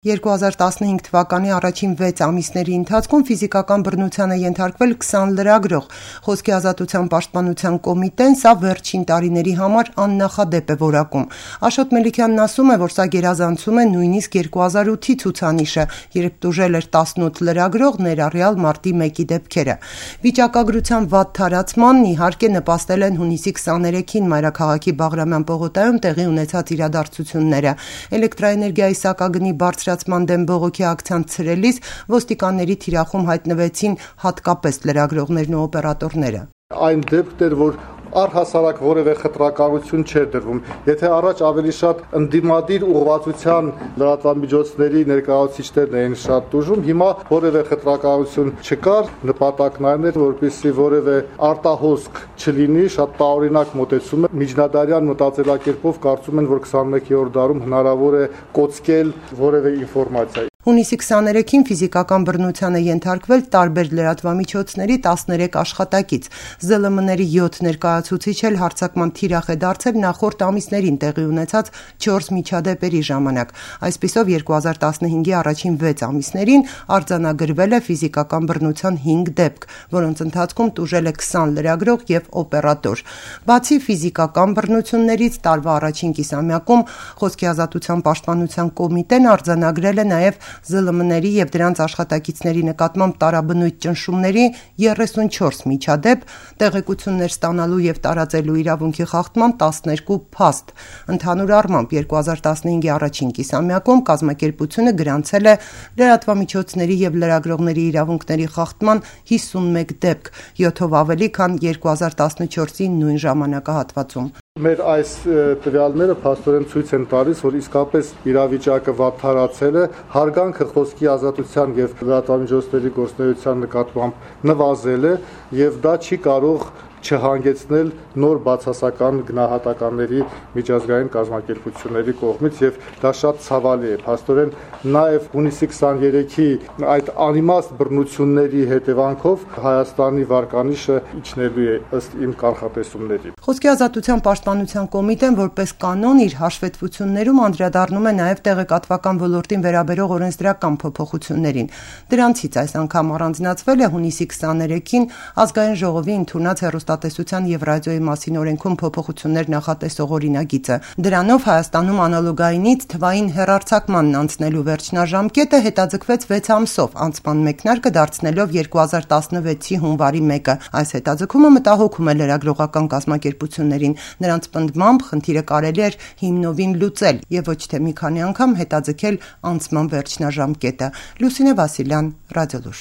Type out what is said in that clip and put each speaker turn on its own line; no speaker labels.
2015 թվականի առաջին 6 ամիսների ընթացքում ֆիզիկական բռնության է ենթարկվել 20 լրագրող։ Խոսքի ազատության պաշտպանության կոմիտեն սա վերջին տարիների համար աննախադեպ է որակում։ Աշոտ Մելիքյանն ասում է, որ սա գերազանցում է նույնիսկ 2008-ի ցուցանիշը, երբ տուժել էր 18 լրագրող, ներառյալ մարտի 1-ի դեպքերը։ Վիճակագրության վատ թարացմանն իհարկե նպաստել են հունիսի 23-ին մայրաքաղաքի Բաղրամյան պողոտայում տեղի ունեցած իրադարձությունները։ Էլեկտրաէներգիայի սակագնի բարձրացման դեմ բողոքի ակցիան ցրելիս ոստիկանների թիրախում հայտնվեցին հատկապես լրագրողներն ու օպերատորները։
Այն դեպքն էր, որ առհասարակ որևէ խտրականություն չէր դրվում։ Եթե առաջ ավելի շատ ընդդիմադիր ուղղվածության լրատվամիջոցների ներկայացուցիչներն էին շատ տուժում, հիմա որևէ խտրականություն չկար, նպատակն այն էր, որպեսզի որևէ արտահոսք չլինի, շատ տարօրինակ մոտեցում է։ Միջնադարյան մտածելակերպով կարծում են, որ 21-րդ դարում հնարավոր է կոծկել որևէ ինֆորմացիա։
Հունիսի 23-ին ֆիզիկական բռնության է ենթարկվել տարբեր լրատվամիջոցների 13 աշխատակից։ ԶԼՄ-ների 7 ներկայացուցիչ էլ հարձակման թիրախ է դարձել նախորդ ամիսներին տեղի ունեցած 4 միջադեպերի ժամանակ։ Այսպիսով 2015-ի առաջին 6 ամիսներին արձանագրվել է ֆիզիկական բռնության 5 դեպք, որոնց ընթացքում տուժել է 20 լրագրող եւ օպերատոր։ Բացի ֆիզիկական բռնություններից տարվա առաջին կիսամյակում Խոսքի ազատության պաշտպանության կոմիտեն արձանագրել է նաեւ ԶԼՄ-ների եւ դրանց աշխատակիցների նկատմամբ տարաբնույթ ճնշումների 34 միջադեպ, տեղեկություններ ստանալու եւ տարածելու իրավունքի խախտման 12 փաստ։ Ընդհանուր առմամբ 2015-ի առաջին կիսամյակում կազմակերպությունը գրանցել է լրատվամիջոցների եւ լրագրողների իրավունքների խախտման 51 դեպք, 7-ով ավելի, քան 2014-ի նույն ժամանակահատվածում։
Մեր այս տվյալները փաստորեն ցույց են տալիս, որ իսկապես իրավիճակը վատթարացել է, հարգանքը խոսքի ազատության եւ լրատվամիջոցների գործունեության նկատմամբ նվազել է եւ դա չի կարող չհանգեցնել նոր բացասական գնահատականների միջազգային կազմակերպությունների կողմից եւ դա շատ ցավալի է։ Փաստորեն նաեւ հունիսի 23-ի այդ անիմաստ բռնությունների հետևանքով Հայաստանի վարկանիշը իջնելու է ըստ իմ կանխատեսումների։
Խոսքի ազատության պաշտպանության կոմիտեն որպես կանոն իր հաշվետվություններում անդրադառնում է նաեւ տեղեկատվական ոլորտին վերաբերող օրենսդրական փոփոխություններին։ Դրանցից այս անգամ առանձնացվել է հունիսի 23-ին ազգային ժողովի ընդունած հեռուստատեսության եւ ռադիոյի մասին օրենքում փոփոխություններ նախատեսող օրինագիծը։ Դրանով Հայաստանում անալոգայինից թվային հեռարձակմանն անցնելու վերջնաժամկետը հետաձգվեց 6 ամսով, անցման մեկնարկը դարձնելով 2016-ի հունվարի 1-ը։ Այս հետաձգումը մտահոգում է լրագրողական կազմակերպություններին։ Նրանց պնդմամբ խնդիրը կարելի էր հիմնովին լուծել եւ ոչ թե մի քանի անգամ հետաձգել անցման վերջնաժամկետը։ Լուսինե Վասիլյան, Ռադիոլուր։